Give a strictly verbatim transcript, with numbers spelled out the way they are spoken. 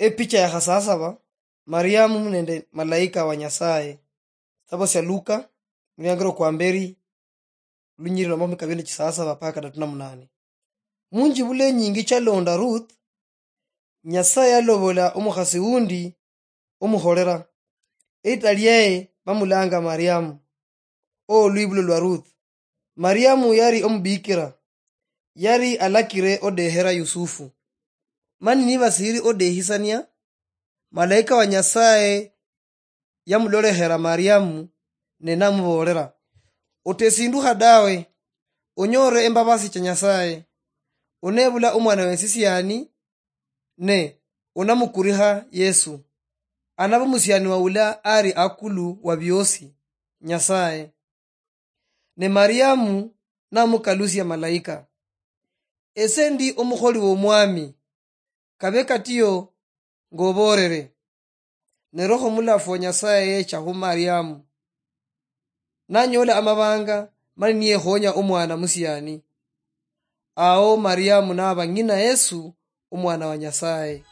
Epicha ya khasasaba, Mariamu nende malaika wa Nyasaye. Sitabo sia Luka, muliangiro kwa mberi, lunyiriro makhumi kabiri nende chisasaba mpaka kadatu na munane. Munjibula enyingi chalonda Ruth, Nyasaye yalobola omukhasi wundi omukholera. Elita liaye bamulanga Mariamu. Olwibulo lwa Ruth. Mariamu yali omubikira, yali alakire odehera Yusufu. Mani nibasiri odehisania, malaika wa Nyasaye yamulolekhera Mariamu ne namuboolera, "Otesindukha dawe, onyore embabasi cha Nyasaye. Onebula omwana wesisiani, ne onamukurikha Yesu. Anaba omusiani wa ula ari akulu wa biosi, Nyasaye." Ne Mariamu namukalusia malaika, "Ese ndi omukholi w'Omwami, kabe katio ng'oboolere." Ne Roho Mulafu wa Nyasaye yecha khu Mariamu, nanyola amabanga, mani niyekhonya omwana musiani. Ao Mariamu naba ng'ina Yesu, omwana wa Nyasaye.